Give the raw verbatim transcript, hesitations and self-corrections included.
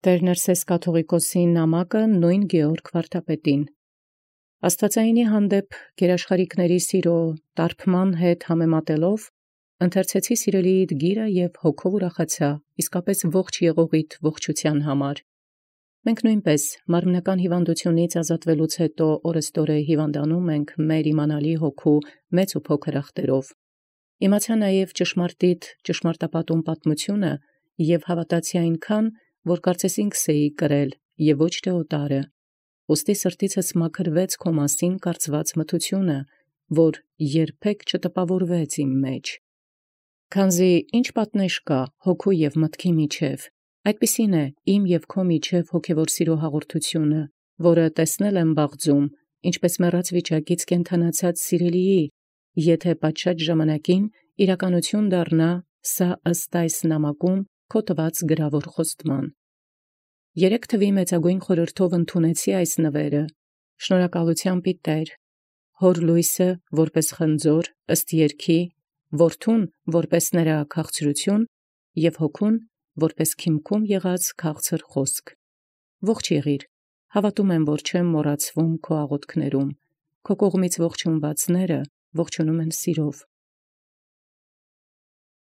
Տէր Ներսէս կաթուղիկոսի նամակը նոյն Գեորգ վարդապետին։ Աստուածեղէնի հանդեպ գերաշխարհիքների սիրո տարբման հետ համեմատելով, ընթերցեցի սիրելիիդ գիրը և հոգով ուրախացա, իսկապէս ողջ եղողիդ ողջութեան համար։ Մենք նոյնպէս մարմնական հիւանդութիւնից ազատուելուց յետո օրըստօրե հիւանդանոմ ենք մեր իմանալի հոգու մեծ ու փոքր ախտերով։ Իմացա նաև ճշմարտիտ ճշմարտապատում պատմութիւնը և հաւատացի այնքան, որ կարծես ինքս էի կրել և ոչ թէ օտարը։ Ուստի սրտիցս մաքրվեց քո մասին կարծված մթությունը, որ երբեք չտպաւորվեց իմ մեջ։ Քանզի ի՛նչ պատնեշ կա հոգու և մտքի միջև, այդպիսին է իմ և քո միջև հոգևոր սիրո հաղորդությունը, որը տեսնել եմ բաղձում, ինչպէս մեռած վիճակից կենդանացած սիրելիի, եթէ պատշաճ ժամանակին իրականութիւն դառնա սա ըստ այս նամակում քո տուած գրաւոր խոստման։ Երեք թուի մեծագոյն խորհրդով ընդունեցի այս նվերը, շնորհակալութեամբի Տէր, հոր լոյսը որպէս խնձոր ըստ երգի, որդուն որպէս նրա քաղցրութիւն և հոգուն որպէս քիմքում եղած քաղցր խոսք։ Ողջ եղիր, հաւատում եմ, որ չեմ մոռացվում քո աղոթքներում, քո կողմից ողջունվածները ողջունում են սիրով։